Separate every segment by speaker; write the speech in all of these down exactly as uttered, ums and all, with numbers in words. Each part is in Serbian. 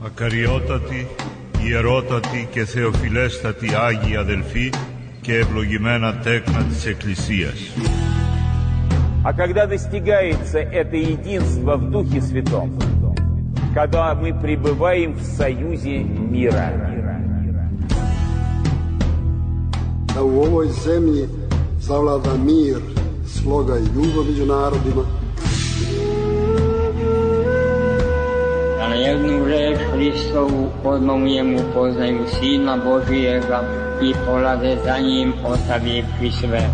Speaker 1: Ακαριότατοι, ιερότατοι και θεοφιλέστατοι Άγιοι αδελφοί και ευλογημένα τέκνα της Εκκλησίας.
Speaker 2: А когда достигается это единство в Духе Святом, когда мы пребываем в союзе мира.
Speaker 3: Da u ovoj zemlji zavlada mir, sloga i ljubav među narodima.
Speaker 4: Da na jednu reč Hristovu odmomijemu poznaju Sina Božijega i polaze za njim ostavivši sve.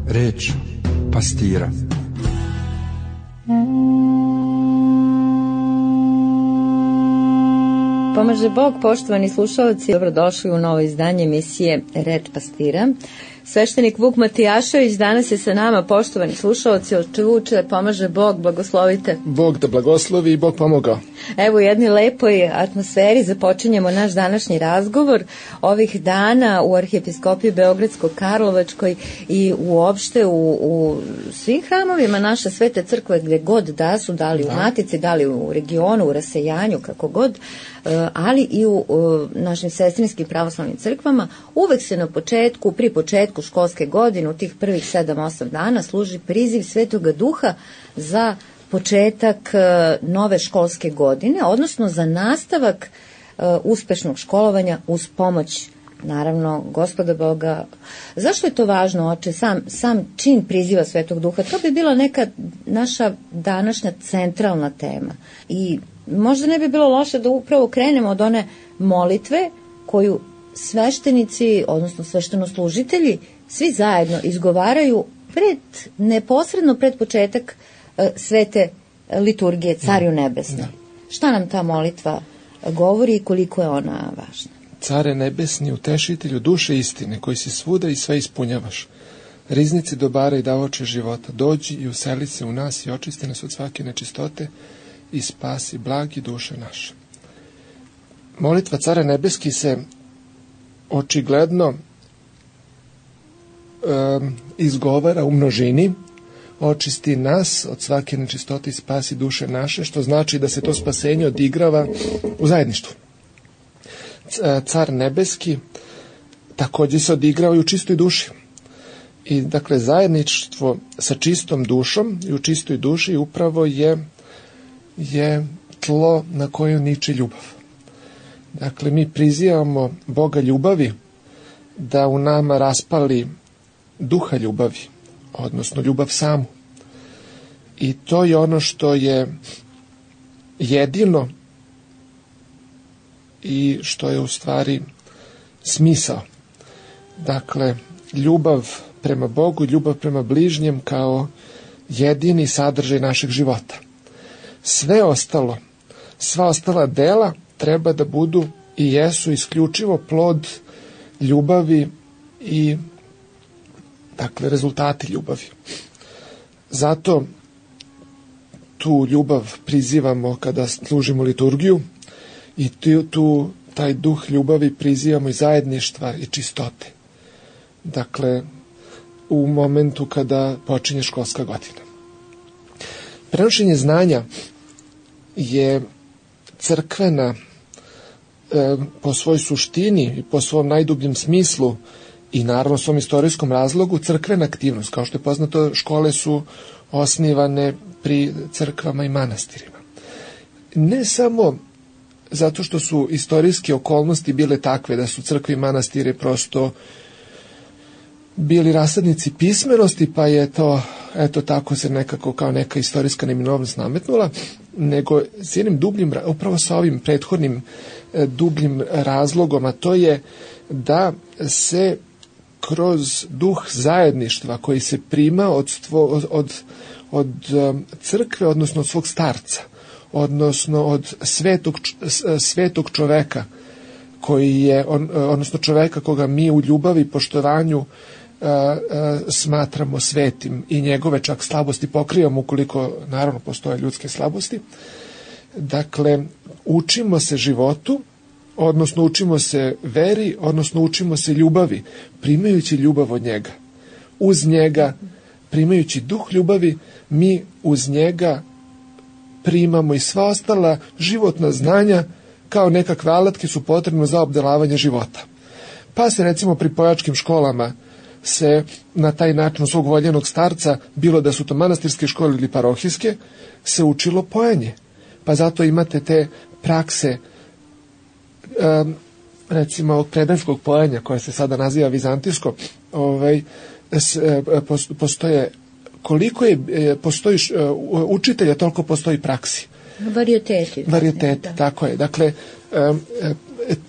Speaker 5: Reč pastira.
Speaker 6: Pomaže Bog, poštovani slušalci, dobrodošli u novo izdanje emisije Reč pastira. Sveštenik Vuk Matijašević danas je sa nama, poštovani slušalci, oče Vuče, pomaže Bog, blagoslovite.
Speaker 7: Bog da blagoslovi i Bog pomogao.
Speaker 6: Evo u jednoj lepoj atmosferi započinjemo naš današnji razgovor. Ovih dana u Arhijepiskopiji Beogradsko-Karlovačkoj i uopšte u, u svim hramovima naše svete crkve gde god da su, da li u Matici, da li u regionu, u rasejanju, kako god, ali i u, u našim sestrinskim pravoslavnim crkvama, uvek se na početku, pri početku školske godine, u tih prvih sedam osam dana, služi priziv Svetoga Duha za početak nove školske godine, odnosno za nastavak uspešnog školovanja uz pomoć, naravno, Gospoda Boga. Zašto je to važno, oče, sam, sam čin priziva Svetog Duha? To bi bila neka naša današnja centralna tema. I možda ne bi bilo loše da upravo krenemo od one molitve koju sveštenici, odnosno sveštenoslužitelji, svi zajedno izgovaraju pred, neposredno pred početak uh, svete liturgije Cariju nebesni. Da. Šta nam ta molitva govori i koliko je ona važna?
Speaker 7: Care nebesni, utešitelju duše istine, koji si svuda i sve ispunjavaš, riznici dobara i davaoče života, dođi i useli se u nas i očisti nas od svake nečistote i spasi blagi duše naše. Molitva Cara nebeski se očigledno um, izgovara u množini, očisti nas od svake nečistote i spasi duše naše, što znači da se to spasenje odigrava u zajedništvu. Car nebeski također se odigrava i u čistoj duši. I dakle zajedništvo sa čistom dušom i u čistoj duši upravo je, je tlo na koju niče ljubav. Dakle, mi prizivamo Boga ljubavi da u nama raspali duha ljubavi, odnosno ljubav samu. I to je ono što je jedino i što je u stvari smisao. Dakle, ljubav prema Bogu, ljubav prema bližnjem kao jedini sadržaj našeg života. Sve ostalo, sva ostala dela treba da budu i jesu isključivo plod ljubavi i, dakle, rezultati ljubavi. Zato tu ljubav prizivamo kada služimo liturgiju i tu, tu taj duh ljubavi prizivamo i zajedništva i čistote. Dakle, u momentu kada počinje školska godina. Prenošenje znanja je crkvena e, po svojoj suštini i po svom najdubljem smislu i naravno svom istorijskom razlogu crkvena aktivnost. Kao što je poznato, škole su osnivane pri crkvama i manastirima. Ne samo zato što su istorijske okolnosti bile takve da su crkve i manastire prosto bili rasadnici pismenosti, pa je to, eto tako se nekako kao neka istorijska neminovnost nametnula, nego s jednim dubljim, upravo sa ovim prethodnim e, dubljim razlogom, a to je da se kroz duh zajedništva koji se prima od, stvo, od, od, od crkve, odnosno od svog starca, odnosno od svetog, svetog čoveka, koji je, on, odnosno čoveka koga mi u ljubavi i poštovanju a, a, smatramo svetim i njegove čak slabosti pokrivamo ukoliko naravno postoje ljudske slabosti. Dakle, učimo se životu, odnosno učimo se veri, odnosno učimo se ljubavi, primajući ljubav od njega. Uz njega, primajući duh ljubavi, mi uz njega primamo i sva ostala životna znanja kao nekakve alatke su potrebne za obdelavanje života. Pa se recimo pri pojačkim školama se na taj način svog voljenog starca, bilo da su to manastirske škole ili parohijske, se učilo pojenje. Pa zato imate te prakse um, recimo predanskog pojenja koje se sada naziva vizantijsko, ovaj, s, e, postoje koliko je postoji učitelja, toliko postoji praksi.
Speaker 6: Varijeteti.
Speaker 7: Varijeteti, tako je. Dakle, um,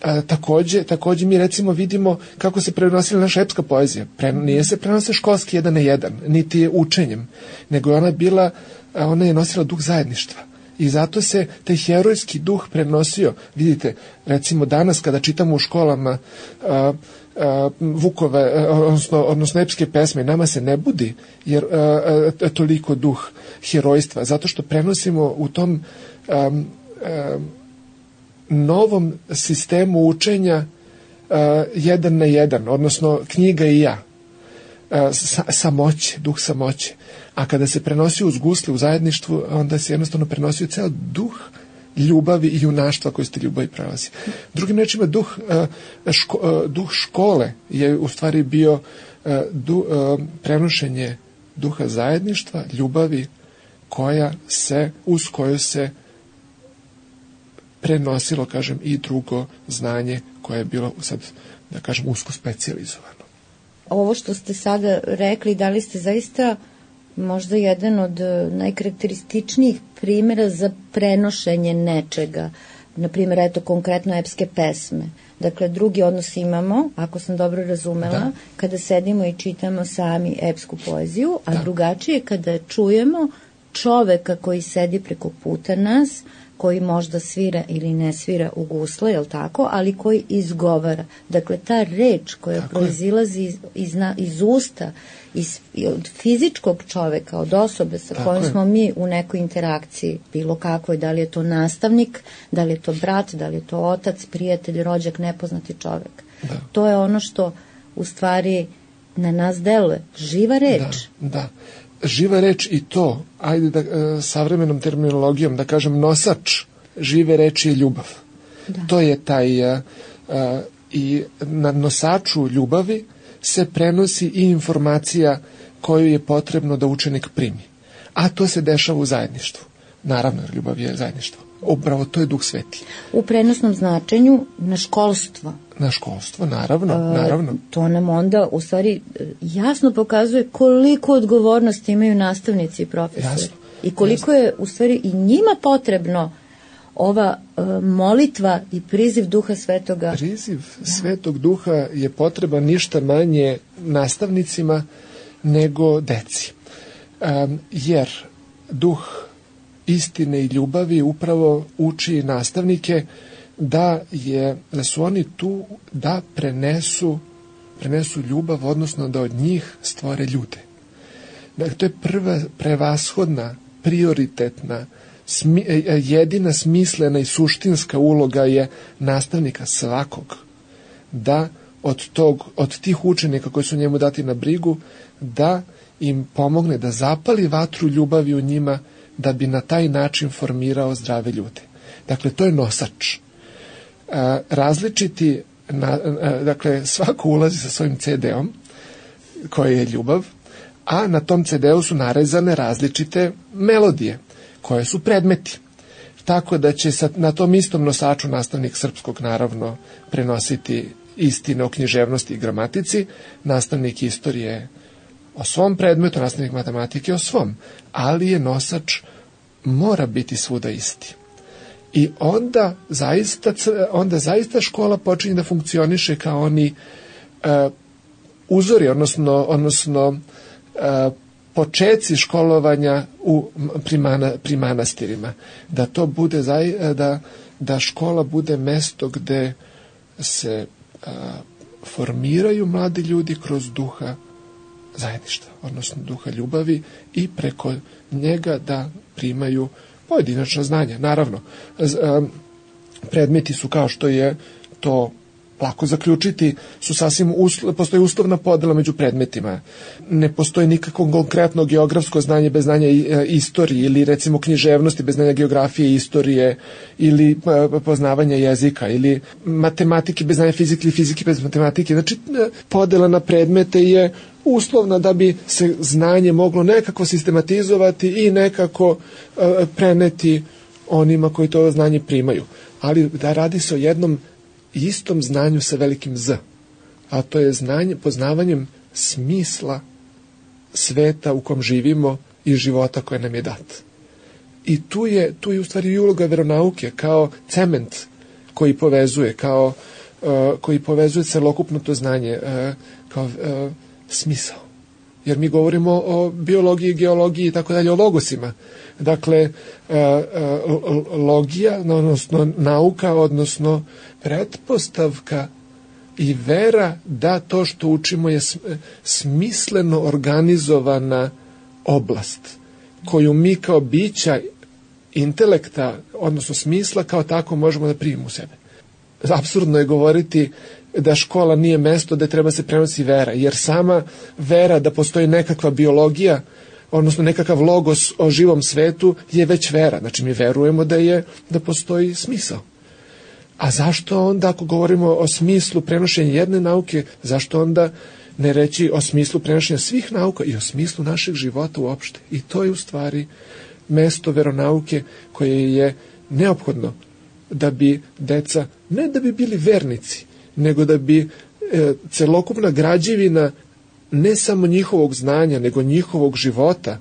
Speaker 7: A, takođe, takođe mi recimo vidimo kako se prenosila naša epska poezija. Pre, nije se prenose školski jedan na jedan, niti je učenjem, nego je ona bila, ona je nosila duh zajedništva. I zato se taj herojski duh prenosio. Vidite, recimo danas kada čitamo u školama a, a, Vukove, odnosno, odnosno epske pesme, nama se ne budi jer a, a, toliko duh herojstva, zato što prenosimo u tom a, a, novom sistemu učenja uh, jedan na jedan, odnosno knjiga i ja. Uh, sa, samoće, duh samoće. A kada se prenosi uz gusle u zajedništvu, onda se jednostavno prenosio ceo duh ljubavi i junaštva koji ste ljubavi prelazi. Drugim rečima, duh, uh, ško, uh, duh škole je u stvari bio uh, du, uh, prenošenje duha zajedništva, ljubavi koja se, uz koju se prenosilo, kažem, i drugo znanje koje je bilo sad, da kažem, usko specijalizovano.
Speaker 6: Ovo što ste sada rekli, da li ste zaista možda jedan od najkarakterističnijih primjera za prenošenje nečega, na primjer, eto, konkretno epske pesme. Dakle, drugi odnos imamo, ako sam dobro razumela, da. Kada sedimo i čitamo sami epsku poeziju, a da. Drugačije kada čujemo čoveka koji sedi preko puta nas, koji možda svira ili ne svira u gusle, jel tako, ali koji izgovara. Dakle, ta reč koja tako proizilazi iz, iz, iz usta, iz, od fizičkog čoveka, od osobe sa tako kojom je. Smo mi u nekoj interakciji, bilo kakvoj, da li je to nastavnik, da li je to brat, da li je to otac, prijatelj, rođak, nepoznati čovek. Da. To je ono što u stvari na nas deluje. Živa reč.
Speaker 7: Da, da. Živa reč i to, ajde da e, savremenom terminologijom da kažem, nosač žive reči je ljubav. Da. To je taj e, e, i na nosaču ljubavi se prenosi i informacija koju je potrebno da učenik primi. A to se dešava u zajedništvu. Naravno, ljubav je zajedništvo. Upravo to je Duh Sveti.
Speaker 6: U prenosnom značenju na školstvo.
Speaker 7: Na školstvo, naravno, e, naravno.
Speaker 6: To nam onda u stvari jasno pokazuje koliko odgovornosti imaju nastavnici i profesori. Jasno, I koliko jasno. Je u stvari i njima potrebno ova e, molitva i priziv Duha Svetoga.
Speaker 7: Priziv da. Svetog Duha je potreban ništa manje nastavnicima nego deci. E, jer Duh istine i ljubavi upravo uči nastavnike da je da su oni tu da prenesu prenesu ljubav, odnosno da od njih stvore ljude. Dakle, to je prva prevashodna, prioritetna, smi, jedina smislena i suštinska uloga je nastavnika svakog da od tog od tih učenika koji su njemu dati na brigu da im pomogne da zapali vatru ljubavi u njima, da bi na taj način formirao zdrave ljude. Dakle, to je nosač. A, različiti, na, a, dakle, svako ulazi sa svojim ce de-om, koji je ljubav, a na tom ce de-u su narezane različite melodije, koje su predmeti. Tako da će sa, na tom istom nosaču nastavnik srpskog, naravno, prenositi istine o književnosti i gramatici, nastavnik istorije o svom predmetu, nastavnik matematike o svom, ali je nosač mora biti svuda isti. I onda zaista, onda zaista škola počinje da funkcioniše kao oni uh, uzori, odnosno, odnosno uh, počeci školovanja u, pri, mana, pri manastirima. Da to bude, zaj, da, da škola bude mesto gde se uh, formiraju mladi ljudi kroz duha zajedništva, odnosno duha ljubavi i preko njega da primaju pojedinačna znanja. Naravno, predmeti su kao što je to lako zaključiti su sasvim uslo, postoji uslovna podela među predmetima. Ne postoji nikakvo konkretno geografsko znanje bez znanja istorije ili recimo književnosti bez znanja geografije i istorije ili poznavanja jezika ili matematike bez znanja fizike ili fizike bez matematike. Znači podela na predmete je uslovna da bi se znanje moglo nekako sistematizovati i nekako uh, preneti onima koji to znanje primaju. Ali da radi se o jednom istom znanju sa velikim Z, a to je znanje, poznavanjem smisla sveta u kom živimo i života koje nam je dat. I tu je, tu je u stvari i uloga veronauke kao cement koji povezuje, kao, uh, koji povezuje celokupno to znanje, uh, kao uh, smisao. Jer mi govorimo o biologiji, geologiji i tako dalje, o logosima. Dakle, logija, odnosno nauka, odnosno pretpostavka i vera da to što učimo je smisleno organizovana oblast koju mi kao bića intelekta, odnosno smisla, kao tako možemo da primimo u sebe. Apsurdno je govoriti da škola nije mesto gde treba se prenosi vera, jer sama vera da postoji nekakva biologija, odnosno nekakav logos o živom svetu je već vera. Znači mi verujemo da je da postoji smisao. A zašto onda, ako govorimo o smislu prenošenja jedne nauke, zašto onda ne reći o smislu prenošenja svih nauka i o smislu našeg života uopšte? I to je u stvari mesto veronauke koje je neophodno da bi deca, ne da bi bili vernici, nego da bi e, celokupna građevina ne samo njihovog znanja, nego njihovog života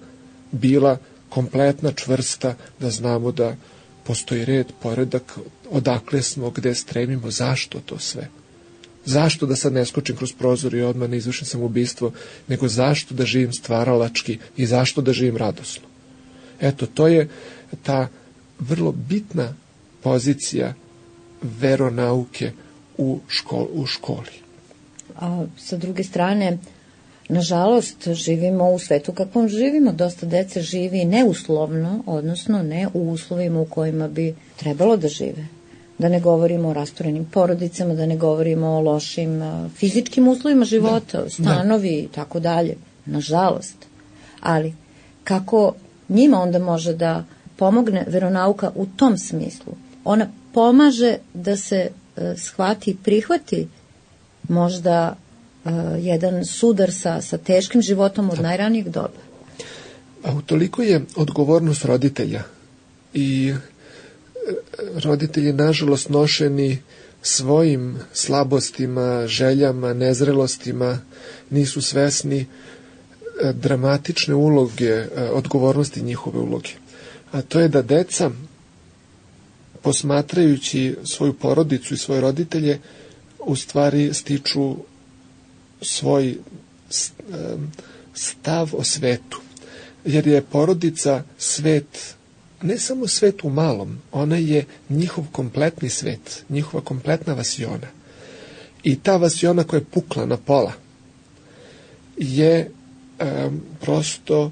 Speaker 7: bila kompletna, čvrsta, da znamo da postoji red, poredak, odakle smo, gde stremimo, zašto to sve. Zašto da sad ne skočim kroz prozor i odmah ne izvršim samoubistvo, nego zašto da živim stvaralački i zašto da živim radosno. Eto, to je ta vrlo bitna pozicija veronauke u, škol, u školi.
Speaker 6: A sa druge strane, nažalost, živimo u svetu kakvom živimo. Dosta dece živi neuslovno, odnosno ne u uslovima u kojima bi trebalo da žive. Da ne govorimo o rasturenim porodicama, da ne govorimo o lošim fizičkim uslovima života, da, stanovi i tako dalje. Nažalost. Ali, kako njima onda može da pomogne veronauka u tom smislu? Ona pomaže da se e, shvati i prihvati možda e, jedan sudar sa, sa teškim životom od najranijeg doba.
Speaker 7: A utoliko je odgovornost roditelja i roditelji nažalost nošeni svojim slabostima, željama, nezrelostima, nisu svesni dramatične uloge, odgovornosti njihove uloge. A to je da deca, posmatrajući svoju porodicu i svoje roditelje, u stvari stiču svoj stav o svetu. Jer je porodica svet, ne samo svet u malom, ona je njihov kompletni svet, njihova kompletna vasiona. I ta vasiona koja je pukla na pola je um, prosto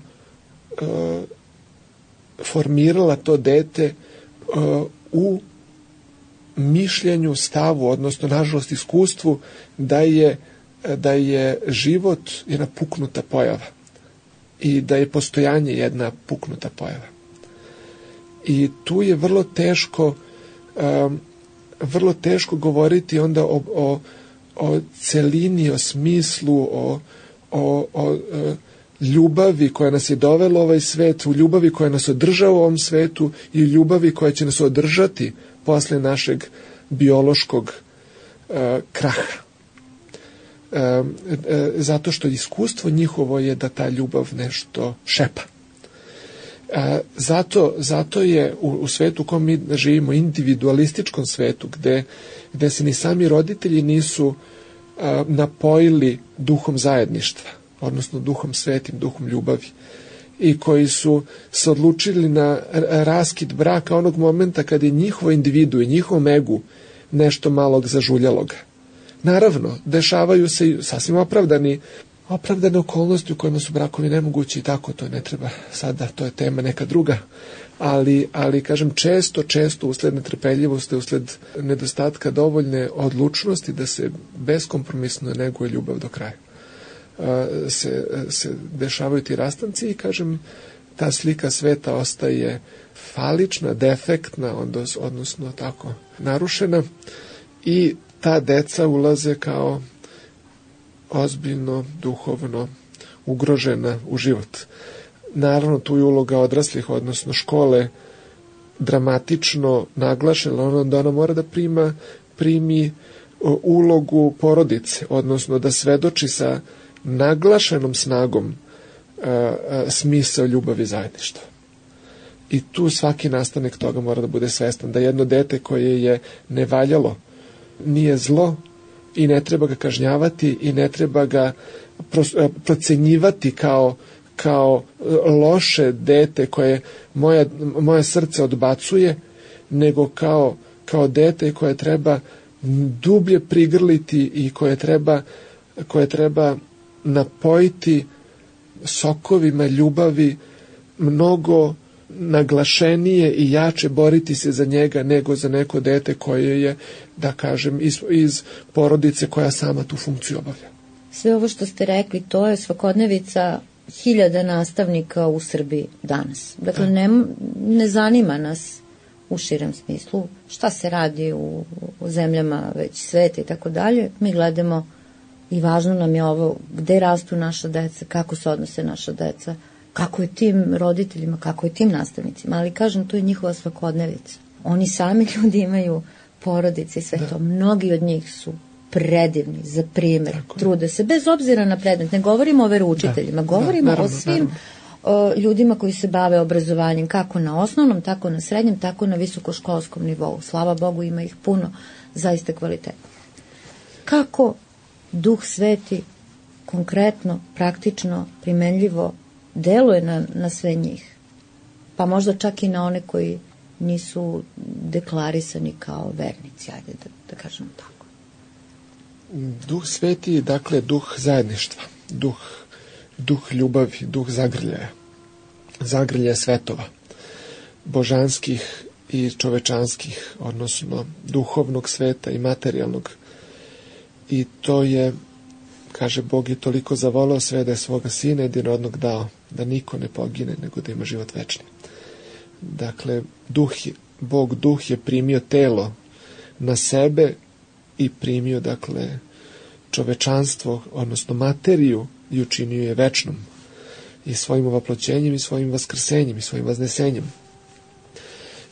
Speaker 7: uh, formirala to dete uh, u mišljenju, stavu, odnosno nažalost iskustvu da je, da je život jedna puknuta pojava i da je postojanje jedna puknuta pojava. I tu je vrlo teško um, vrlo teško govoriti onda o, o, o celini, o smislu, o, o, o, o ljubavi koja nas je dovela u ovaj svet, u ljubavi koja nas održava u ovom svetu i ljubavi koja će nas održati posle našeg biološkog uh, kraha. Uh, uh, zato što iskustvo njihovo je da ta ljubav nešto šepa. Uh, zato, zato je u, u svetu u kom mi živimo, individualističkom svetu, gde, gde se ni sami roditelji nisu uh, napojili duhom zajedništva, odnosno duhom svetim, duhom ljubavi, i koji su se odlučili na raskid braka onog momenta kada je njihovo individu i njihovom egu nešto malog zažuljaloga. Naravno, dešavaju se i sasvim opravdani, opravdane okolnosti u kojima su brakovi nemogući i tako, to ne treba sada, to je tema neka druga, ali, ali kažem često, često usled netrpeljivosti, usled nedostatka dovoljne odlučnosti da se beskompromisno neguje ljubav do kraja. Se, se dešavaju ti rastanci i kažem ta slika sveta ostaje falična, defektna, odnosno tako narušena i ta deca ulaze kao ozbiljno, duhovno ugrožena u život. Naravno, tu je uloga odraslih, odnosno škole, dramatično naglašena, onda ona mora da prima, primi ulogu porodice, odnosno da svedoči sa naglašenom snagom a, a, smisao ljubavi i zajedništva. I tu svaki nastavnik toga mora da bude svestan, da jedno dete koje je nevaljalo nije zlo i ne treba ga kažnjavati i ne treba ga procenjivati kao, kao loše dete koje moja, moje srce odbacuje, nego kao, kao dete koje treba dublje prigrliti i koje treba, koje treba napojiti sokovima ljubavi, mnogo naglašenije i jače boriti se za njega nego za neko dete koje je, da kažem, iz, iz porodice koja sama tu funkciju obavlja.
Speaker 6: Sve ovo što ste rekli, to je svakodnevica hiljada nastavnika u Srbiji danas. Dakle, ne, ne zanima nas u širem smislu šta se radi u, u zemljama već sveta i tako dalje. Mi gledamo i važno nam je ovo gde rastu naša deca, kako se odnose naša deca, kako je tim roditeljima, kako je tim nastavnicima, ali kažem, to je njihova svakodnevica. Oni sami ljudi imaju porodice i sve da. To. Mnogi od njih su predivni, za primjer, tako. Trude se, bez obzira na predmet. Ne govorimo o veroučiteljima, da. Govorimo da, naravno, o svim o, ljudima koji se bave obrazovanjem, kako na osnovnom, tako na srednjem, tako na visokoškolskom nivou. Slava Bogu, ima ih puno, zaista kvalitetno. Kako Duh Sveti konkretno, praktično, primenljivo deluje na, na sve njih, pa možda čak i na one koji nisu deklarisani kao vernici, ajde da, da kažemo tako.
Speaker 7: Duh Sveti je, dakle, duh zajedništva, duh, duh ljubavi, duh zagrljaja, zagrljaja svetova, božanskih i čovečanskih, odnosno duhovnog sveta i materijalnog. I to je, kaže, Bog je toliko zavoleo sve da je svoga sina jedinorodnog dao, da niko ne pogine, nego da ima život večni. Dakle, duh je, Bog duh je primio telo na sebe i primio, dakle, čovečanstvo, odnosno materiju, i učinio je večnom. I svojim ovaploćenjem, i svojim vaskrsenjem, i svojim vaznesenjem.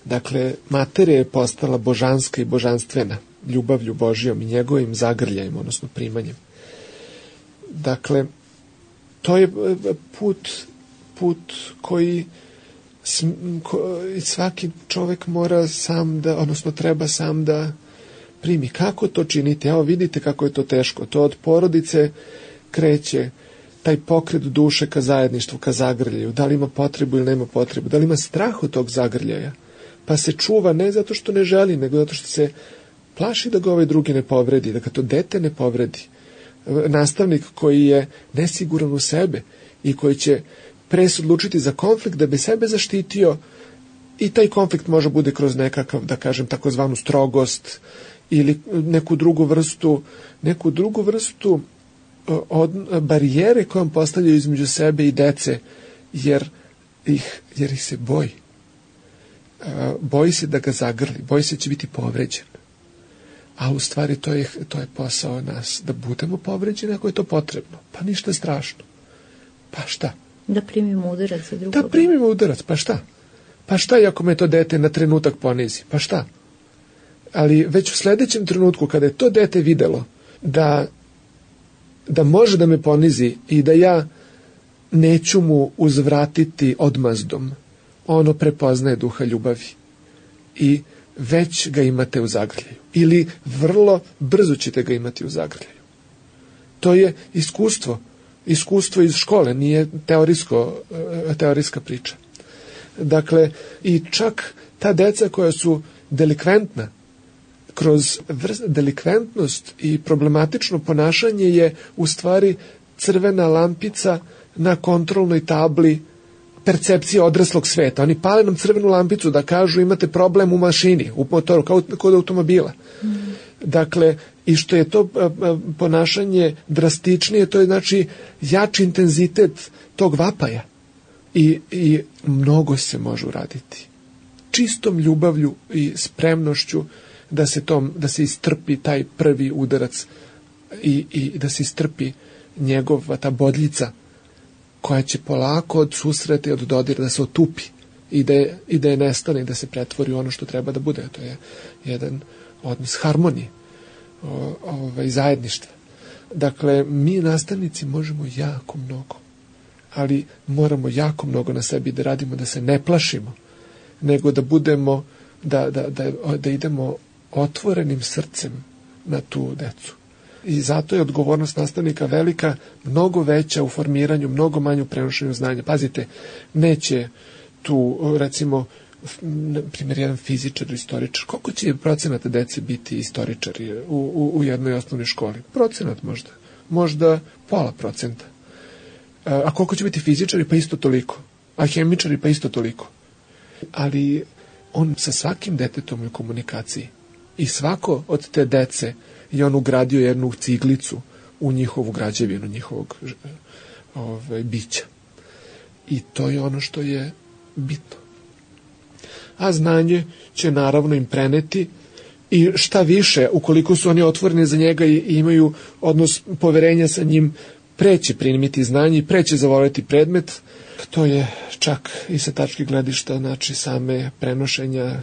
Speaker 7: Dakle, materija je postala božanska i božanstvena, ljubavlju Božijom i njegovim zagrljajem, odnosno primanjem. Dakle, to je put, put koji svaki čovjek mora sam da, odnosno treba sam da primi. Kako to činiti? Evo vidite kako je to teško. To od porodice kreće taj pokret duše ka zajedništvu, ka zagrljaju. Da li ima potrebu ili nema potrebu? Da li ima strah od tog zagrljaja? Pa se čuva ne zato što ne želi, nego zato što se plaši da ga ovaj drugi ne povredi, da ga to dete ne povredi. Nastavnik koji je nesiguran u sebe i koji će pre se odlučiti za konflikt da bi sebe zaštitio, i taj konflikt može bude kroz nekakav, da kažem, takozvanu strogost ili neku drugu vrstu, neku drugu vrstu od barijere kojom postavljaju između sebe i dece, jer ih, jer ih se boji. Boji se da ga zagrli, boji se da će biti povređen. A u stvari to je, to je posao nas, da budemo povređeni ako je to potrebno. Pa ništa strašno. Pa šta?
Speaker 6: Da primimo udarac za drugog.
Speaker 7: Da primimo udarac, pa šta? Pa šta i ako me to dete na trenutak ponizi? Pa šta? Ali već u sledećem trenutku kada je to dete videlo da, da može da me ponizi i da ja neću mu uzvratiti odmazdom, ono prepoznaje duha ljubavi. I već ga imate u zagrljaju. Ili vrlo brzo ćete ga imati u zagrljaju. To je iskustvo. Iskustvo iz škole, nije teorijsko, teorijska priča. Dakle, i čak ta deca koja su delikventna, kroz vrst, delikventnost i problematično ponašanje je u stvari crvena lampica na kontrolnoj tabli percepcije odraslog sveta. Oni pale nam crvenu lampicu da kažu imate problem u mašini, u motoru, kao kod automobila. Mm. Dakle, i što je to ponašanje drastičnije, to je znači jači intenzitet tog vapaja. I, i mnogo se može uraditi. Čistom ljubavlju i spremnošću da se, tom, da se istrpi taj prvi udarac i, i da se istrpi njegova ta bodljica koja će polako od susreta i od dodira da se otupi i da je, i da je nestane i da se pretvori u ono što treba da bude. To je jedan odnos harmonije i zajedništva. Dakle, mi nastavnici možemo jako mnogo, ali moramo jako mnogo na sebi da radimo, da se ne plašimo, nego da budemo, da, da, da, da idemo otvorenim srcem na tu decu. I zato je odgovornost nastavnika velika, mnogo veća u formiranju, mnogo manju prenošenju znanja. Pazite, neće tu, recimo, na primjer, jedan fizičar ili istoričar, koliko će procenata dece biti istoričari u, u, u jednoj osnovnoj školi? Procenat možda. Možda pola procenta. A koliko će biti fizičari? Pa isto toliko. A hemičari? Pa isto toliko. Ali on sa svakim detetom je u komunikaciji. I svako od te dece je on ugradio jednu ciglicu u njihovu građevinu, njihovog ove, bića. I to je ono što je bitno. A znanje će naravno im preneti i šta više, ukoliko su oni otvoreni za njega i imaju odnos poverenja sa njim, preće primiti znanje i preće zavoliti predmet. To je čak i sa tačke gledišta, znači same prenošenja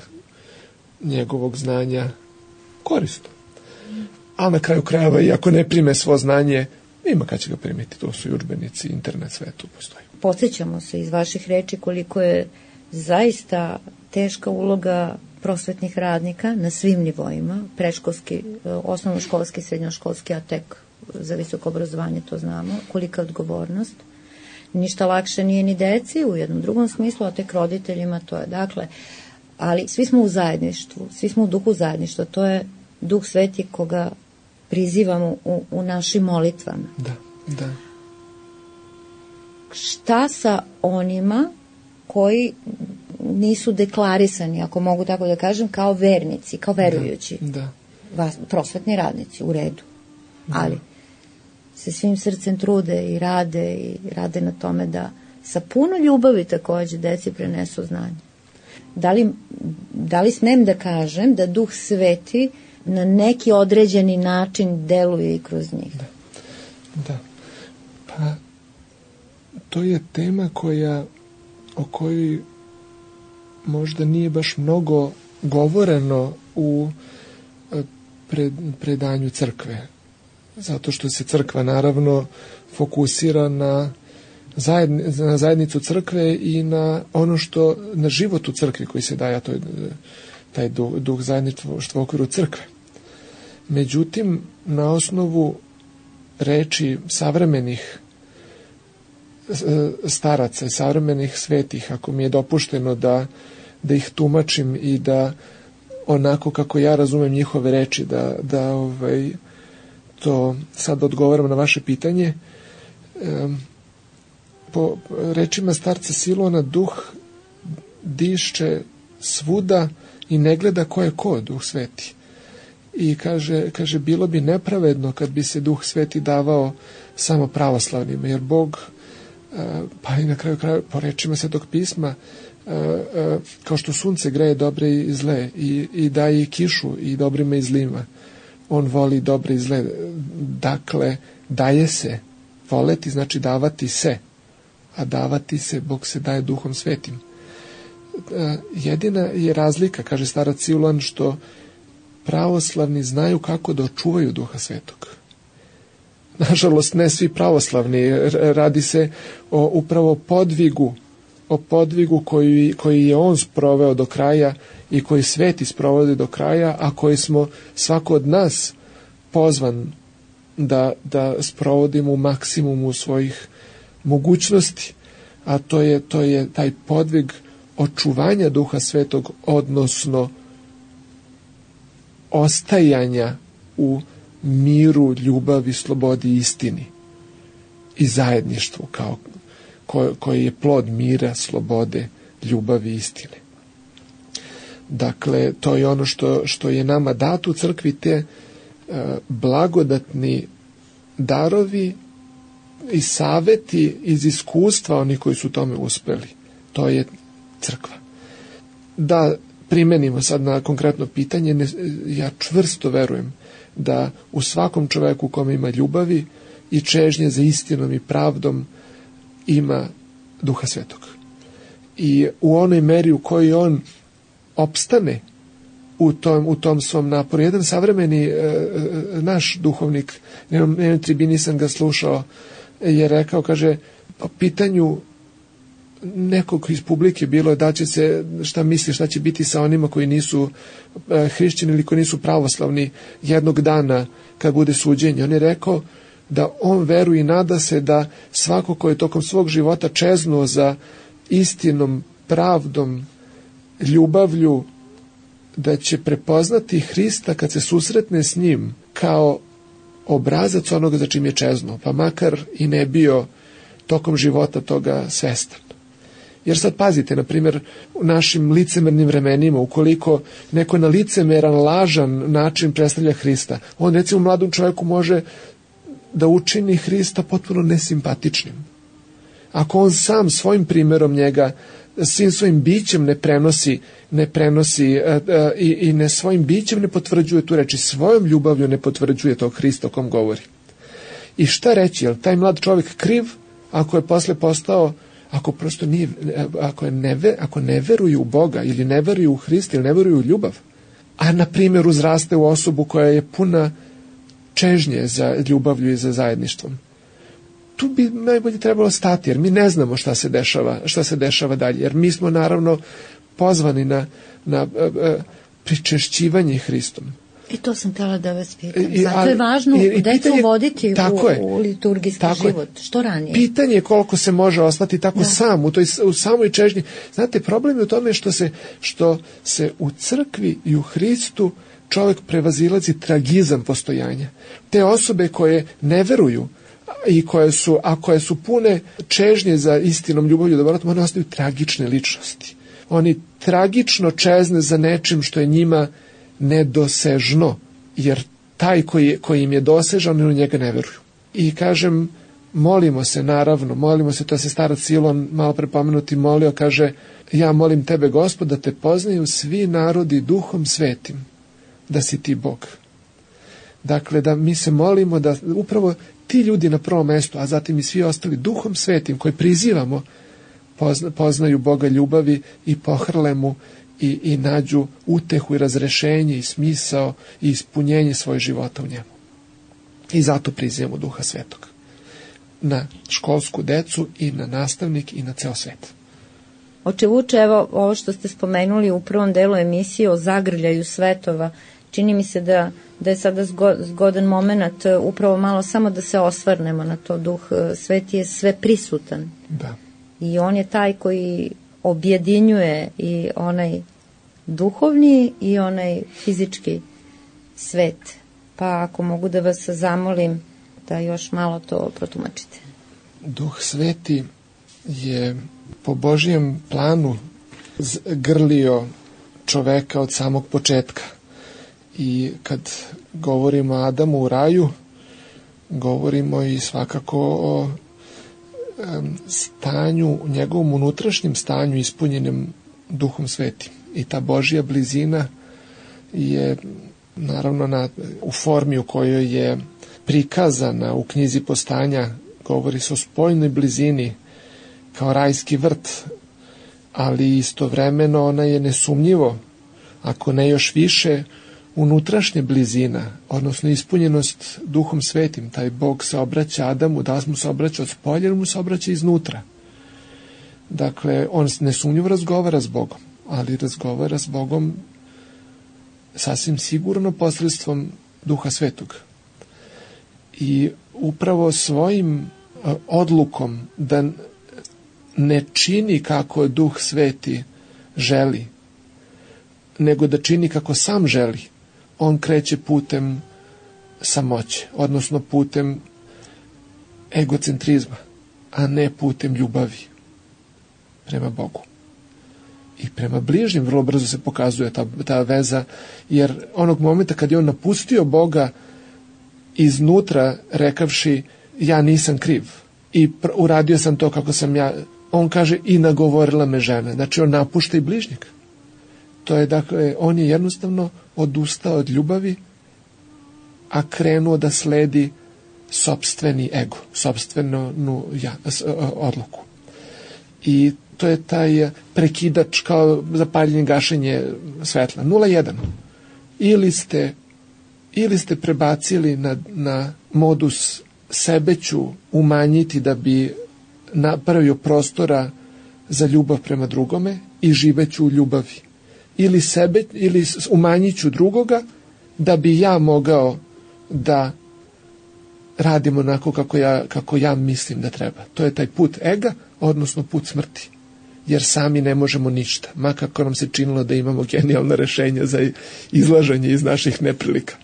Speaker 7: njegovog znanja korisno. A na kraju krajeva, i ako ne prime svo znanje, ima kad će ga primiti, to su i udžbenici, internet, sve tu postoji.
Speaker 6: Podsjećamo se iz vaših reči koliko je zaista teška uloga prosvetnih radnika na svim nivoima, predškolski, osnovnoškolski, srednjoškolski, a tek za visoko obrazovanje to znamo, kolika je odgovornost. Ništa lakše nije ni deci u jednom drugom smislu, a tek roditeljima to je. Dakle, ali svi smo u zajedništvu, svi smo u duhu zajedništva, to je Duh Sveti koga prizivamo u, u našim molitvama.
Speaker 7: Da, da.
Speaker 6: Šta sa onima koji nisu deklarisani, ako mogu tako da kažem, kao vernici, kao verujući,
Speaker 7: da, da.
Speaker 6: Vas, prosvetni radnici, u redu, ali se svim srcem trude i rade i rade na tome da sa puno ljubavi takođe deci prenesu znanje. Da li, da li smem da kažem da Duh Sveti na neki određeni način deluje i kroz njih?
Speaker 7: Da, da. Pa to je tema koja o kojoj možda nije baš mnogo govoreno u pred, predanju crkve. Zato što se crkva naravno fokusira na, zajedni, na zajednicu crkve i na ono što, na život u crkvi koji se daje, a to je taj duh, duh zajedništva u okviru crkve. Međutim, na osnovu reči savremenih staraca i savremenih svetih, ako mi je dopušteno da, da ih tumačim i da onako kako ja razumem njihove reči, da, da ovaj, to sad odgovaram na vaše pitanje. E, po rečima starca Silona, duh diše svuda i ne gleda ko je ko, Duh Sveti. I kaže, kaže, bilo bi nepravedno kad bi se Duh Sveti davao samo pravoslavnima, jer Bog, pa i na kraju kraju, po rečima Svetog pisma, kao što sunce greje dobre i zle i, i daje i kišu i dobrima i zlima, on voli dobre i zle. Dakle, daje se. Voleti znači davati se, a davati se, Bog se daje Duhom Svetim. Jedina je razlika, kaže starac Siluan, što pravoslavni znaju kako da očuvaju Duha Svetog. Nažalost, ne svi pravoslavni. Radi se o upravo podvigu, o podvigu koji, koji je on sproveo do kraja i koji Sveti sprovodi do kraja, a koji smo svako od nas pozvan da, da sprovodimo u maksimumu svojih mogućnosti, a to je, to je taj podvig očuvanja Duha Svetog, odnosno ostajanja u miru, ljubavi, slobodi i istini i zajedništvu kao, ko, koji je plod mira, slobode, ljubavi i istine. Dakle, to je ono što, što je nama dato u crkvi, te uh, blagodatni darovi i saveti iz iskustva oni koji su tome uspeli. To je crkva. Da primenimo sad na konkretno pitanje, ne, ja čvrsto verujem da u svakom čoveku u kome ima ljubavi i čežnje za istinom i pravdom ima Duha Svetog. I u onoj meri u kojoj on opstane u tom, u tom svom naporu. Jedan savremeni e, e, naš duhovnik, na jednoj tribini sam ga slušao, je rekao, kaže, po pitanju nekog iz publike bilo da će se, šta misli, šta će biti sa onima koji nisu e, hrišćani ili koji nisu pravoslavni jednog dana kad bude suđenje. On je rekao da on veruje i nada se da svako ko je tokom svog života čeznuo za istinom, pravdom, ljubavlju, da će prepoznati Hrista kad se susretne s njim kao obrazac onoga za čim je čeznuo, pa makar i ne bio tokom života toga svestan. Jer sad pazite, na primjer, u našim licemernim vremenima, ukoliko neko na licemeran, lažan način predstavlja Hrista, on recimo mladom čovjeku može da učini Hrista potpuno nesimpatičnim. Ako on sam svojim primjerom njega, svim svojim bićem ne prenosi, ne prenosi uh, uh, i, i ne svojim bićem ne potvrđuje tu reči, svojom ljubavlju ne potvrđuje tog Hrista o kom govori. I šta reći, je li taj mlad čovjek kriv ako je posle postao, ako prosto nije, ako, je ne, ako ne veruju u Boga ili ne veruju u Hrista ili ne veruju u ljubav, a na primjer uzraste u osobu koja je puna čežnje za ljubavlju i za zajedništvom. Tu bi najbolje trebalo stati, jer mi ne znamo šta se dešava, šta se dešava dalje, jer mi smo naravno pozvani na, na a, a, pričešćivanje Hristom.
Speaker 6: I to sam htjela da vas pitam.
Speaker 7: I,
Speaker 6: Zato
Speaker 7: ali,
Speaker 6: je važno
Speaker 7: i, i
Speaker 6: decu
Speaker 7: pitanje,
Speaker 6: voditi u, u liturgijski život. Je. Što ranije?
Speaker 7: Pitanje je koliko se može ostati tako da. sam, u, toj, u samoj čežnji. Znate, problem je u tome što se, što se u crkvi i u Hristu čovjek prevazilazi tragizam postojanja. Te osobe koje ne veruju i koje su, a koje su pune čežnje za istinom, ljubavlju, dobrotom, one ostaju tragične ličnosti. Oni tragično čezne za nečim što je njima nedosežno, jer taj koji, koji im je dosežan, oni u njega ne veruju. I kažem, molimo se, naravno, molimo se, to se starac Silon malo prepomenuti molio, kaže, ja molim tebe, Gospod, da te poznaju svi narodi duhom svetim, da si ti Bog. Dakle, da mi se molimo da upravo ti ljudi na prvom mjestu, a zatim i svi ostali duhom svetim koji prizivamo, pozna, poznaju Boga ljubavi i pohrle mu i, i nađu utehu i razrešenje i smisao i ispunjenje svojeg života u njemu. I zato prizivamo Duha Svetog na školsku decu i na nastavnik i na ceo svet.
Speaker 6: Oče Vuče, evo ovo što ste spomenuli u prvom delu emisije o zagrljaju svetova, čini mi se da, da je sada zgodan moment upravo malo samo da se osvrnemo na to. Duh Sveti je sve prisutan.
Speaker 7: Da.
Speaker 6: I on je taj koji objedinjuje i onaj duhovni i onaj fizički svet. Pa ako mogu da vas zamolim da još malo to protumačite.
Speaker 7: Duh Sveti je po Božijem planu grlio čoveka od samog početka. I kad govorimo o Adamu u raju, govorimo i svakako o um, stanju, njegovom unutrašnjem stanju ispunjenim Duhom Svetim. I ta Božja blizina je naravno na, u formi u kojoj je prikazana u knjizi Postanja, govori se o spoljnoj blizini kao rajski vrt, ali istovremeno ona je nesumnjivo, ako ne još više, unutrašnja blizina, odnosno ispunjenost Duhom Svetim. Taj Bog se obraća Adamu, da mu se obraća od spolja, ili mu se obraća iznutra. Dakle, on nesumnjivo razgovara s Bogom, ali razgovara s Bogom sasvim sigurno posredstvom Duha Svetog. I upravo svojim odlukom da ne čini kako Duh Sveti želi, nego da čini kako sam želi, on kreće putem samoće, odnosno putem egocentrizma. a ne putem ljubavi prema Bogu. I prema bližnjem vrlo brzo se pokazuje ta, ta veza, jer onog momenta kad je on napustio Boga iznutra rekavši ja nisam kriv i pr- uradio sam to kako sam ja, on kaže i nagovorila me žena, znači on napušta i bližnjeg. To je dakle, on je jednostavno odustao od ljubavi, a krenuo da sledi sopstveni ego, sopstvenu ja, odluku. I to je taj prekidač kao zapaljenje, gašenje svetla. nula jedan. Ili ste, ili ste prebacili na, na modus sebe ću umanjiti da bi napravio prostora za ljubav prema drugome i živeću u ljubavi. Ili sebe, ili umanjit ću drugoga da bi ja mogao da radim onako kako ja, kako ja mislim da treba. To je taj put ega, odnosno put smrti. Jer sami ne možemo ništa, ma kako nam se činilo da imamo genijalna rešenja za izlaženje iz naših neprilika.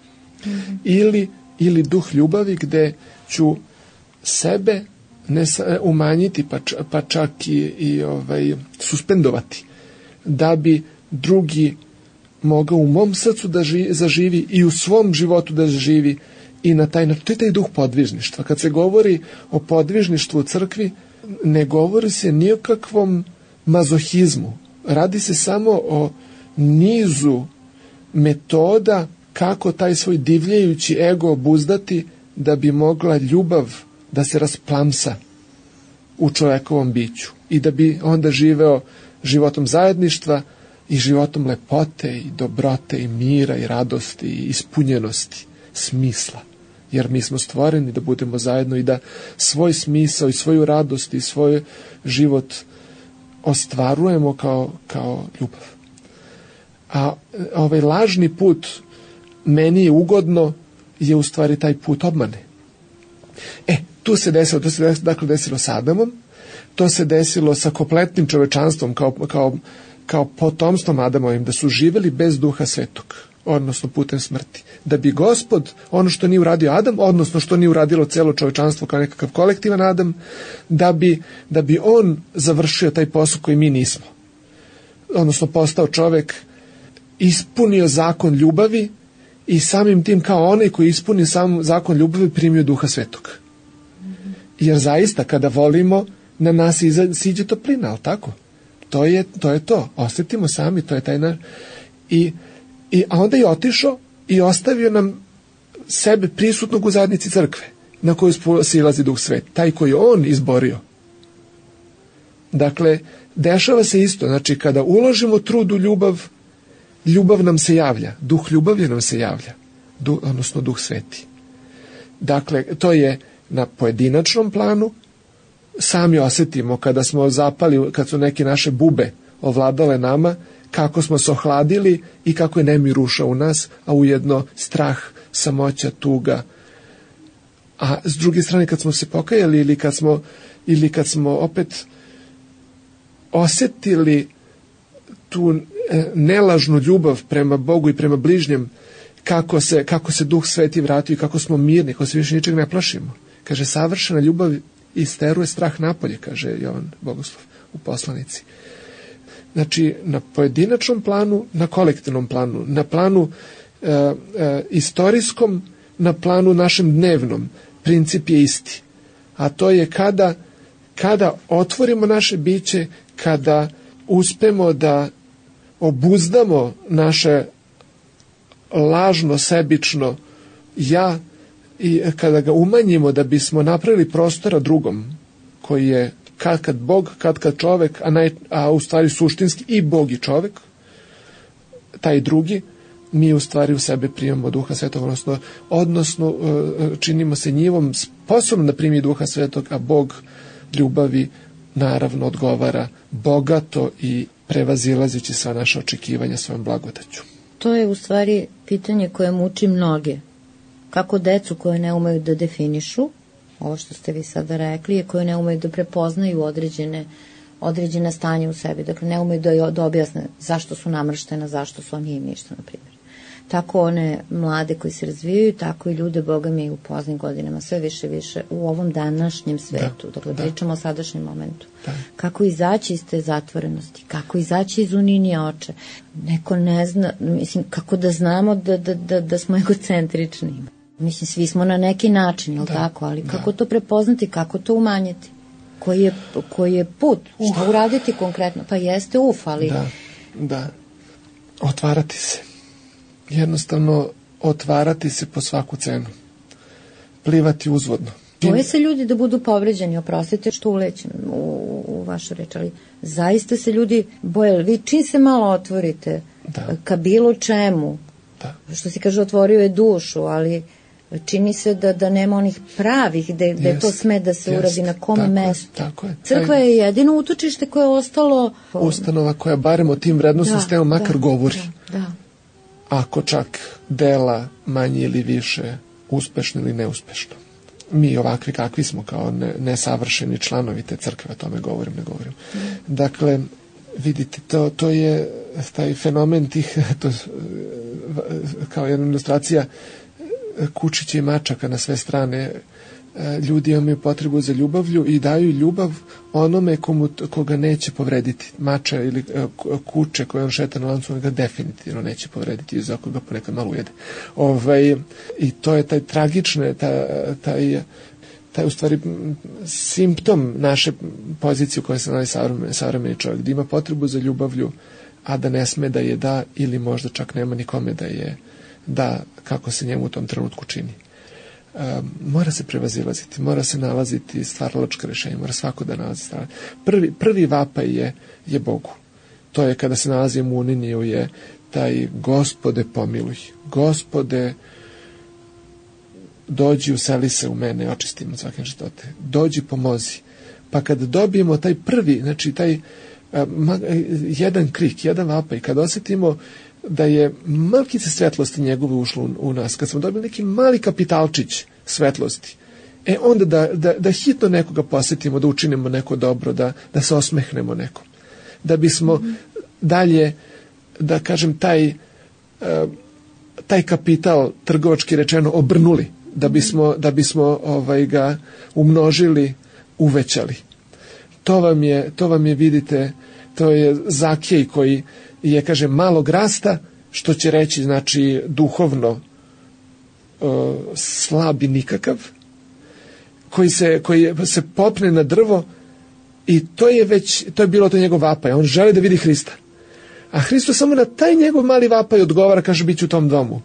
Speaker 7: Mm-hmm. Ili, ili duh ljubavi gde ću sebe ne umanjiti pa, č, pa čak i, i ovaj, suspendovati da bi drugi mogao u mom srcu da ži, zaživi i u svom životu da zaživi i na taj način. To je taj duh podvižništva. Kad se govori o podvižništvu u crkvi, ne govori se ni o kakvom mazohizmu. Radi se samo o nizu metoda kako taj svoj divljajući ego obuzdati da bi mogla ljubav da se rasplamsa u čovekovom biću i da bi onda živeo životom zajedništva i životom lepote i dobrote i mira i radosti i ispunjenosti, smisla. Jer mi smo stvoreni da budemo zajedno i da svoj smisao i svoju radost i svoj život ostvarujemo kao, kao ljubav. A ovaj lažni put meni je ugodno je u stvari taj put obmane. E, tu se desilo, to se desilo, dakle desilo s Adamom, to se desilo sa kompletnim čovečanstvom kao, kao, kao potomstvom Adamovim, da su živeli bez duha svetog, odnosno putem smrti. Da bi Gospod, ono što nije uradio Adam, odnosno što nije uradilo celo čovečanstvo kao nekakav kolektivan Adam, da bi, da bi on završio taj posao koji mi nismo. Odnosno postao čovek, ispunio zakon ljubavi i samim tim kao onaj koji ispunio sam zakon ljubavi primio duha svetog. Jer zaista kada volimo na nas siđe toplina, ali tako? To je, to je to. Osjetimo sami, to je taj naš. I, i, a onda je otišao i ostavio nam sebe prisutnog u zajednici crkve na koju silazi duh svet. Taj koji je on izborio. Dakle, dešava se isto. Znači, kada uložimo trud u ljubav, ljubav nam se javlja. Duh ljubavi nam se javlja. Duh, odnosno duh sveti. Dakle, to je na pojedinačnom planu. Sami osjetimo kada smo zapali, kad su neke naše bube ovladale nama, kako smo se ohladili i kako je nemir ušao u nas, a ujedno strah, samoća, tuga. A s druge strane, kad smo se pokajali ili kad smo, ili kad smo opet osjetili tu nelažnu ljubav prema Bogu i prema bližnjem, kako se, kako se duh sveti vratio i kako smo mirni, kako se više ničeg ne plašimo. Kaže, savršena ljubav isteruje strah napolje, kaže Jovan Bogoslov u poslanici. Znači, na pojedinačnom planu, na kolektivnom planu, na planu e, e, istorijskom, na planu našem dnevnom, princip je isti. A to je kada, kada otvorimo naše biće, kada uspemo da obuzdamo naše lažno, sebično ja i kada ga umanjimo da bismo napravili prostora drugom koji je kad kad Bog, kad kad čovek, a, naj, a u stvari suštinski i Bog i čovek, taj drugi, mi u stvari u sebe primamo duha svetog, odnosno, odnosno činimo se njivom sposobno da primi duha svetog, a Bog ljubavi naravno odgovara bogato i prevazilazeći sva naša očekivanja svojom blagodaću.
Speaker 6: To je u stvari pitanje koje muči mnoge. Kako decu koje ne umeju da definišu, ovo što ste vi sada rekli, je koje ne umeju da prepoznaju određene, određene stanje u sebi. Dakle, ne umeju da, da objasne zašto su namrštena, zašto su, on nije ništa, na primjer. tako one mlade koji se razvijaju, tako i ljude, Boga mi, u poznim godinama, sve više više u ovom današnjem svetu. Da, dakle, da. Pričamo o sadašnjem momentu. Da. Kako izaći iz te zatvorenosti, kako izaći iz uninija oče. Neko ne zna, mislim, kako da znamo da, da, da, da smo egocentrični. Mislim, svi smo na neki način, jel da, tako, ali kako da. to prepoznati, kako to umanjiti? Koji je, koji je put? Uh. Šta uraditi konkretno? Pa jeste uf, ali...
Speaker 7: Da, da. Otvarati se. Jednostavno, otvarati se po svaku cenu. Plivati uzvodno.
Speaker 6: Boje se ljudi da budu povređeni, oprostite što ulećem u, u vašu reč, ali zaista se ljudi boje. Vi čim se malo otvorite da. ka bilo čemu, da. što se kaže otvorio je dušu, ali čini se da, da nema onih pravih, da, da je to sme da se jest, uradi na kom tako mestu.
Speaker 7: Je, tako je.
Speaker 6: Crkva je jedino utočište koje je ostalo...
Speaker 7: Ustanova koja barem o tim vrednostima stema makar
Speaker 6: da,
Speaker 7: govori.
Speaker 6: Da, da.
Speaker 7: Ako čak dela manje ili više uspešno ili neuspešno. Mi ovakvi kakvi smo kao ne, nesavršeni članovi te crkve, o tome govorim, ne govorim. Mm. Dakle, vidite, to, to je taj fenomen tih, to, kao jedna ilustracija kučića i mačaka na sve strane. Ljudi imaju potrebu za ljubavlju i daju ljubav onome komu, koga neće povrediti. Mača ili kuće koje on šeta na lancu, on ga definitivno neće povrediti, za koga ponekad malo ujede. Ovaj, I to je taj tragične, taj, taj, taj u stvari simptom naše pozicije u kojoj se nalazi savremeni, savremeni čovjek, da ima potrebu za ljubavlju, a da ne sme da je da ili možda čak nema nikome da je da kako se njemu u tom trenutku čini. Um, mora se prevazilaziti, mora se nalaziti stvaralačka rešenja, mora svako da nalazi stvar. Prvi, prvi vapaj je, je Bogu. To je kada se nalazimo u uniniju, je taj Gospode pomiluj, Gospode dođi, useli se u mene, očisti me svake neštote, dođi, pomozi. Pa kada dobijemo taj prvi, znači taj um, jedan krik, jedan vapaj, kada osetimo da je malkice svetlosti njegove ušlo u, u nas, kad smo dobili neki mali kapitalčić svetlosti, e onda da, da, da hitno nekoga posjetimo, da učinimo neko dobro, da, da se osmehnemo nekom. Da bismo mm-hmm. dalje, da kažem, taj, uh, taj kapital, trgovački rečeno, obrnuli, da bismo, da bismo ovaj, ga umnožili, uvećali. To vam je, to vam je, vidite, to je Zakej koji je, kaže, malog rasta, što će reći, znači, duhovno uh, slab i nikakav, koji se, koji se popne na drvo i to je već, to je bilo to njegov vapaj. On želi da vidi Hrista. A Hristo samo na taj njegov mali vapaj odgovara, kaže, bit ću u tom domu.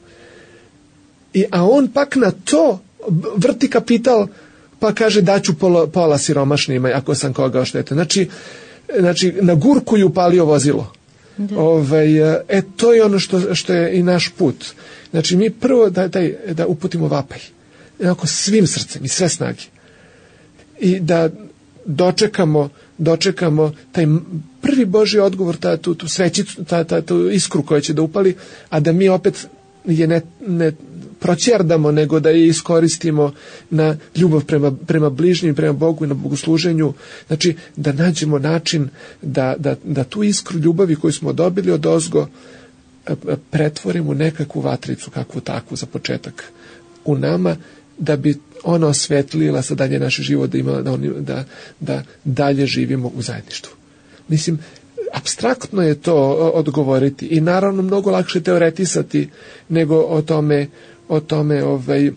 Speaker 7: I, a on pak na to vrti kapital, pa kaže, daću pola, pola siromašnima, ako sam koga oštetio. Znači, znači, na gurku ju palio vozilo. Da. Ovaj, e, to je ono što, što je i naš put. Znači, mi prvo da, da, da uputimo vapaj. Onako svim srcem i sve snage. I da dočekamo, dočekamo taj prvi Božji odgovor, ta, tu, tu svećicu, ta, ta, tu iskru koja će da upali, a da mi opet je ne, ne proćerdamo, nego da je iskoristimo na ljubav prema, prema bližnjim, prema Bogu i na bogosluženju. Znači, da nađemo način da, da, da tu iskru ljubavi koju smo dobili od ozgo pretvorimo u nekakvu vatricu, kakvu takvu za početak u nama, da bi ona osvetlila sa dalje naše život, da, ima, da, da, da dalje živimo u zajedništvu. Mislim, apstraktno je to odgovoriti i naravno mnogo lakše teoretisati nego o tome, o tome ovaj, a,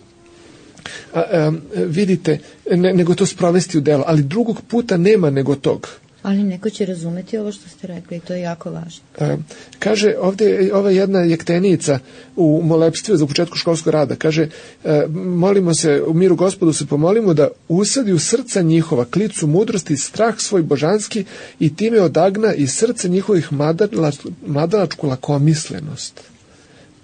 Speaker 7: a, vidite, ne, nego to sprovesti u delo, ali drugog puta nema nego tog.
Speaker 6: Ali neko će razumeti ovo što ste rekli i to je jako važno.
Speaker 7: A, kaže, ovdje ova jedna jektenica u molebstvu za početku školskog rada, kaže, a, molimo se, u miru Gospodu se pomolimo da usadi u srca njihova klicu mudrosti, strah svoj božanski i time odagna iz srca njihovih mladalač, mladalačku lakomislenost.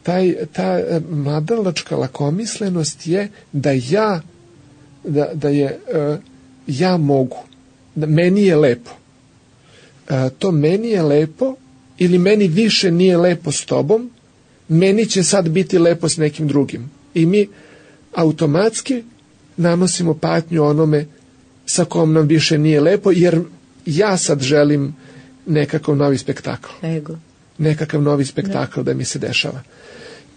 Speaker 7: Taj, ta mladalačka lakomislenost je da ja, da, da je a, ja mogu, da meni je lepo. A, to meni je lepo ili meni više nije lepo s tobom, meni će sad biti lepo s nekim drugim. I mi automatski nanosimo patnju onome sa kom nam više nije lepo, jer ja sad želim nekakav novi spektakl.
Speaker 6: Ego.
Speaker 7: Nekakav novi spektakl da, da mi se dešava.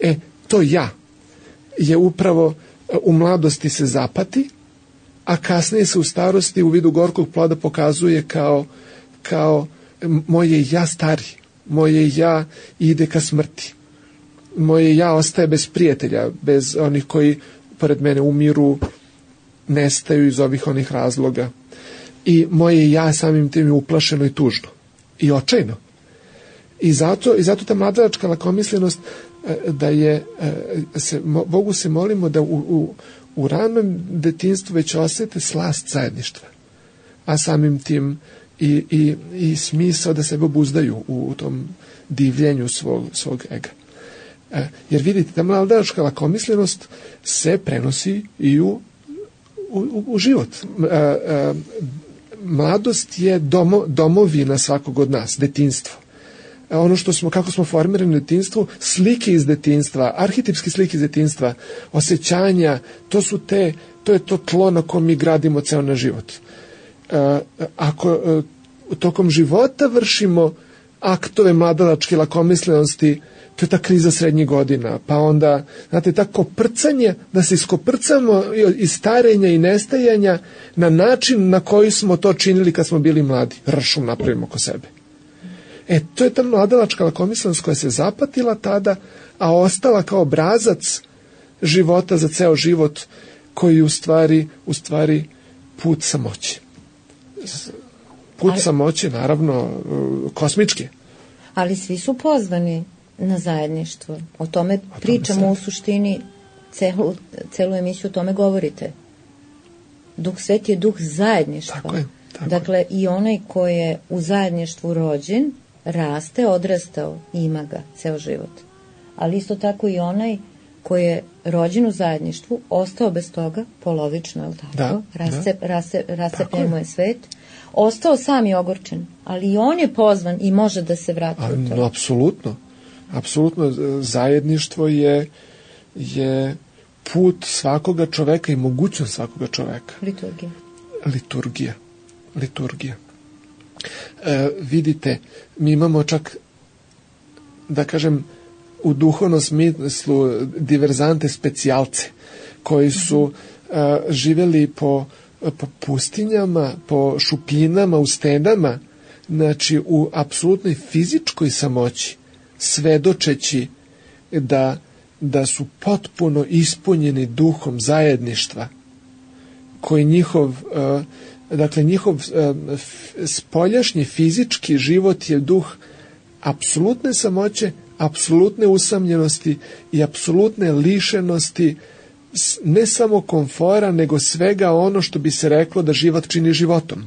Speaker 7: E, to ja je upravo u mladosti se zapati, a kasnije se u starosti u vidu gorkog ploda pokazuje kao, kao moje ja stari, moje ja ide ka smrti, moje ja ostaje bez prijatelja, bez onih koji pored mene umiru, nestaju iz ovih onih razloga. I moje ja samim tim je uplašeno i tužno i očajno. I zato, i zato ta mladalačka lakomislenost da je, se, Bogu se molimo da u, u, u ranom detinjstvu već osete slast zajedništva, a samim tim i, i, i smisao da sebe obuzdaju u, u tom divljenju svog, svog ega. Jer vidite, ta mladalačka lakomislenost se prenosi i u, u, u život. Mladost je domo, domovina svakog od nas, detinjstvo. Ono što smo, kako smo formirani u detinjstvu, slike iz detinjstva, arhetipske slike iz detinjstva, osjećanja, to su te, to je to tlo na kom mi gradimo ceo naš život. E, ako e, tokom života vršimo aktove mladalačke lakomislenosti, to je ta kriza srednjih godina, pa onda, znate, ta koprcanje, da se iskoprcamo iz starenja i nestajanja na način na koji smo to činili kad smo bili mladi, ršum napravimo oko sebe. E, to je ta mladalačka lakomislenost koja se zapatila tada, a ostala kao obrazac života za ceo život, koji u stvari, u stvari put samoće. Put ali, samoće, naravno, kosmički.
Speaker 6: Ali svi su pozvani na zajedništvo. O tome o pričamo tome u suštini, celu, celu emisiju o tome govorite. Duh Sveti je duh zajedništva.
Speaker 7: Tako je. Tako.
Speaker 6: Dakle, i onaj ko je u zajedništvu rođen, raste, odrastao, ima ga ceo život. Ali isto tako i onaj koji je rođen u zajedništvu, ostao bez toga, polovično, je li tako?
Speaker 7: Da,
Speaker 6: Rasep,
Speaker 7: da.
Speaker 6: rase, rasepljen mu je svet. Ostao sam i ogorčen, ali i on je pozvan i može da se vrati
Speaker 7: A,
Speaker 6: u to.
Speaker 7: No, apsolutno. Apsolutno, zajedništvo je, je put svakoga čoveka i mogućnost svakoga čoveka.
Speaker 6: Liturgija.
Speaker 7: Liturgija. Liturgija. E, vidite, mi imamo čak, da kažem, u duhovnom smislu diverzante specijalce, koji su uh, živjeli po, po pustinjama, po šupljinama, u stenama, znači u apsolutnoj fizičkoj samoći, svedočeći da, da su potpuno ispunjeni duhom zajedništva, koji njihov, uh, dakle njihov uh, spoljašnji fizički život je duh apsolutne samoće, apsolutne usamljenosti i apsolutne lišenosti ne samo komfora, nego svega ono što bi se reklo da život čini životom.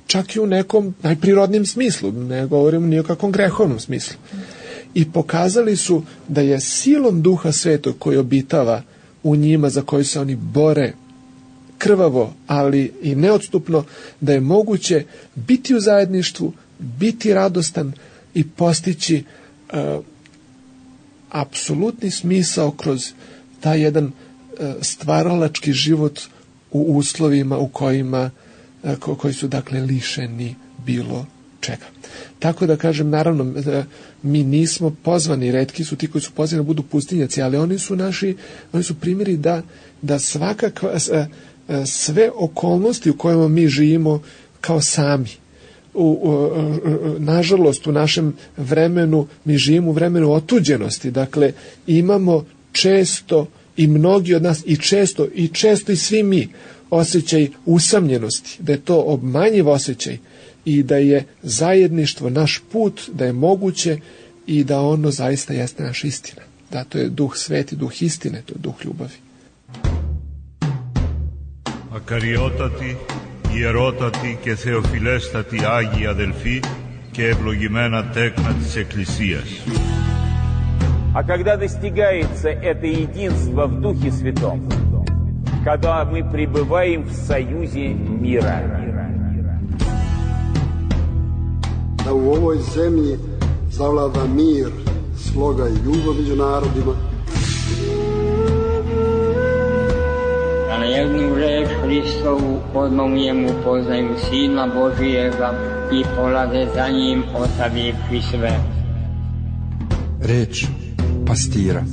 Speaker 7: Čak i u nekom najprirodnijem smislu, ne govorim ni o kakvom grehovnom smislu. I pokazali su da je silom Duha Svetog koji obitava u njima, za koji se oni bore krvavo, ali i neodstupno, da je moguće biti u zajedništvu, biti radostan i postići uh, apsolutni smisao kroz taj jedan uh, stvaralački život u uslovima u kojima uh, ko, koji su dakle lišeni bilo čega. Tako da kažem, naravno, uh, mi nismo pozvani, retki su ti koji su pozvani da budu pustinjaci, ali oni su naši, oni su primjeri da, da svakakva uh, uh, sve okolnosti u kojima mi živimo kao sami. U, u, u, nažalost u našem vremenu mi živimo u vremenu otuđenosti, dakle imamo često i mnogi od nas i često i često i svi mi osjećaj usamljenosti, da je to obmanjiv osjećaj i da je zajedništvo naš put, da je moguće i da ono zaista jeste naša istina, da to je Duh Sveti, Duh istine, to je Duh ljubavi.
Speaker 1: Ακαριότατοι, ιερότατοι και θεοφιλέστατοι Άγιοι αδελφοί και ευλογημένα τέκνα της Εκκλησίας.
Speaker 2: А когда достигается это единство в Духе Святом, когда мы пребываем в союзе мира.
Speaker 3: Da u ovoj zemlji zavlada mir, sloga i ljubav među narodima.
Speaker 4: Da na jednu reč Hristovu odmah u njemu poznaju Sina Božijega i polade za njim ostavivši sve.
Speaker 5: Reč pastira.